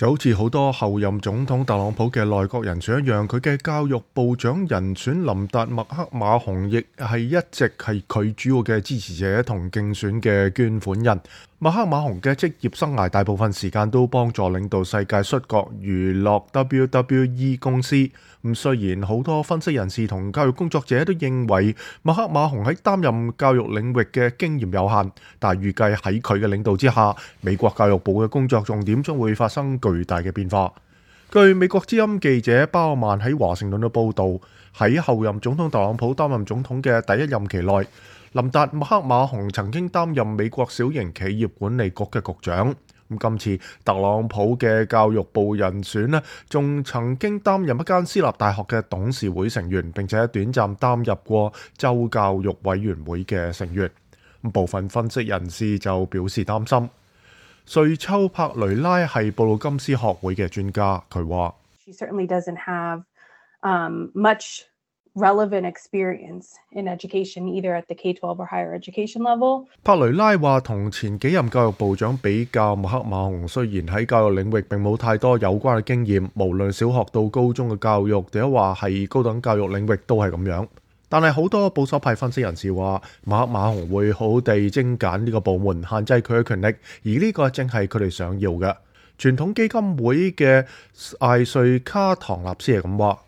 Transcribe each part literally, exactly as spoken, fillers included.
就好似好多後任總統特朗普嘅內閣人選一樣，佢嘅教育部長人選林達麥克馬洪亦係一直係佢主要嘅支持者同競選嘅捐款人。麥克馬洪嘅職業生涯大部分時間都幫助領導世界摔角娛樂 W W E 公司。咁雖然好多分析人士同教育工作者都認為麥克馬洪喺擔任教育領域嘅經驗有限，但係預計喺佢嘅領導之下，美國教育部嘅工作重點將會發生巨大嘅變化。據美國之音記者包曼喺華盛頓嘅報導，喺後任總統特朗普擔任總統嘅第一任期內，林達麥克馬洪曾經擔任美國小型企業管理局嘅局長。咁今次特朗普嘅教育部人選呢，仲曾經擔任一間私立大學嘅董事會成員，並且短暫擔任過州教育委員會嘅成員。部分分析人士就表示擔心。瑞秋柏雷拉係布魯金斯學會嘅專家，佢話She certainly doesn't have um, much relevant experience in education, either at the K twelve or higher education level. 柏雷拉話，同前幾任教育部長比較，麥克馬洪雖然喺教育領域並冇太多有關嘅經驗，無論小學到高中嘅教育，或者話係高等教育領域都係咁樣。但係好多保守派分析人士話，麥克馬洪會好好地精簡呢個部門，限制佢嘅權力，而呢個正係佢哋想要嘅。傳統基金會嘅艾瑞卡唐納斯係咁話。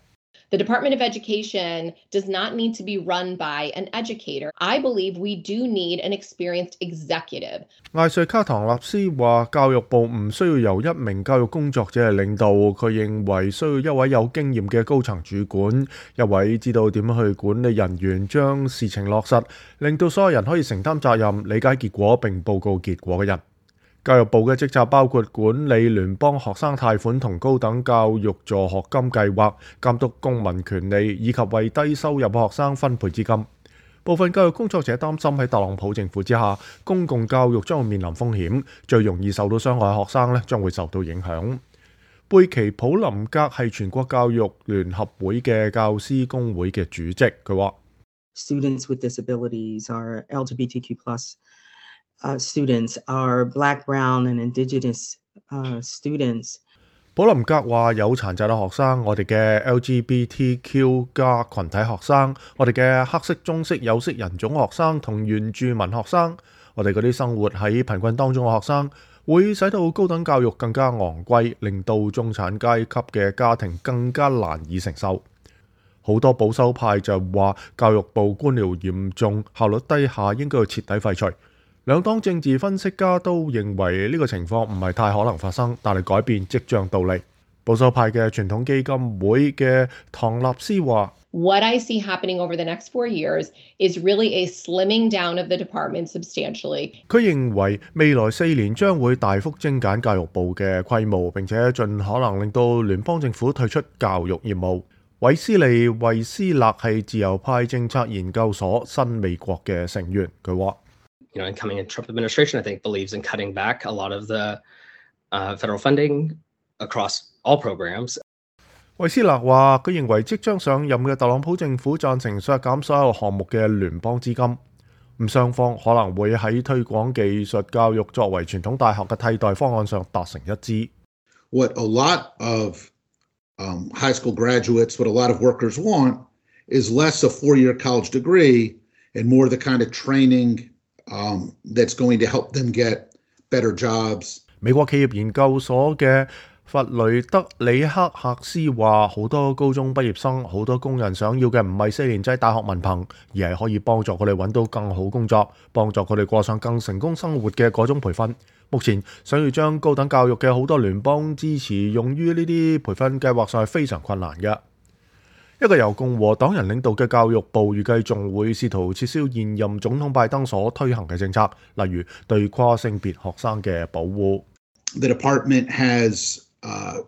The Department of Education does not need to be run by an educator. I believe we do need an experienced executive. 艾瑞卡唐納斯話，教育部唔需要由一名教育工作者嚟領導，佢認為需要一位有經驗嘅高層主管，一位知道點樣去管理人員，將事情落實，令到所有人可以承擔責任、理解結果並報告結果嘅人。教育部嘅職責包括管理聯邦學生貸款同高等教育助學金計劃，監督公民權利，以及為低收入學生分配資金。部分教育工作者擔心喺特朗普政府之下，公共教育將會面臨風險，最容易受到傷害學生咧將會受到影響。貝奇普林格係全國教育聯合會嘅教師工會嘅主席，佢話 Students with disabilities are L G B T Q plus Uh, students are black, brown and indigenous uh, students. 普林格話，有殘疾嘅學生，我哋嘅 L G B T Q 加群體學生，我哋嘅黑色、棕色、有色人種學生同原住民學生，我哋嗰啲生活喺貧困當中嘅學生，會使到高等教育更加昂貴，令到中產階級嘅家庭更加難以承受。好多保守派就話，教育部官僚嚴重、效率低下，應該要徹底廢除。兩黨政治分析家都認為呢個情況唔係太可能發生，但係改變即將到嚟。保守派嘅傳統基金會嘅唐納斯話 What I see happening over the next four years is really a slimming down of the department substantially. 佢認為未來四年將會大幅精簡教育部嘅規模，並且盡可能令到聯邦政府退出教育業務。韋斯利·惠斯勒係自由派政策研究所新美國嘅成員，佢話You know, incoming Trump administration, I think, believes in cutting back a lot of the uh, federal funding across all programs. 韋斯勒話，佢認為即將上任嘅特朗普政府贊成削減所有項目嘅聯邦資金，咁雙方可能會喺推廣技術教育作為傳統大學嘅替代方案上達成一致。What a lot of um, high school graduates, what a lot of workers want, is less a four-year college degree and more the kind of training.Um, that's going to help them get better jobs. 美國企業研究所嘅弗雷德里克克斯話，好多高中畢業生，好多工人想要嘅唔係四年制大學文憑，而係可以幫助佢哋揾到更好工作，幫助佢哋過上更成功生活嘅嗰種培訓。目前想要將高等教育嘅好多聯邦支持用於呢啲培訓計劃上係非常困難嘅。一個由共和黨人領導嘅教育部預計仲會試圖撤銷現任總統拜登所推行嘅政策，例如對跨性別學生嘅保護。The department has uh,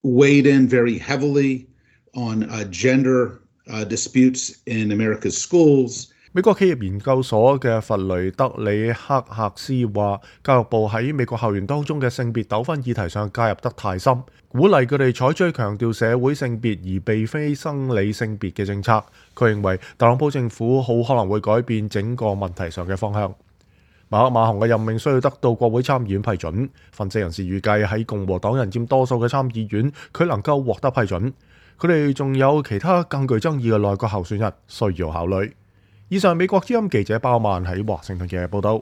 weighed in very heavily on uh, gender uh, disputes in America's schools. 美國企業研究所嘅弗雷德里克克斯話，教育部喺美國校園當中嘅性別糾紛議題上介入得太深，鼓勵佢哋採取強調社會性別而並非生理性別嘅政策。佢認為特朗普政府好可能會改變整個問題上嘅方向。馬克馬洪嘅任命需要得到國會參議院批准。分析人士預計喺共和黨人佔多數嘅參議院，佢能夠獲得批准。佢哋仲有其他更具爭議嘅內閣候選人需要考慮。以上美國之音記者包曼喺華盛頓嘅報道。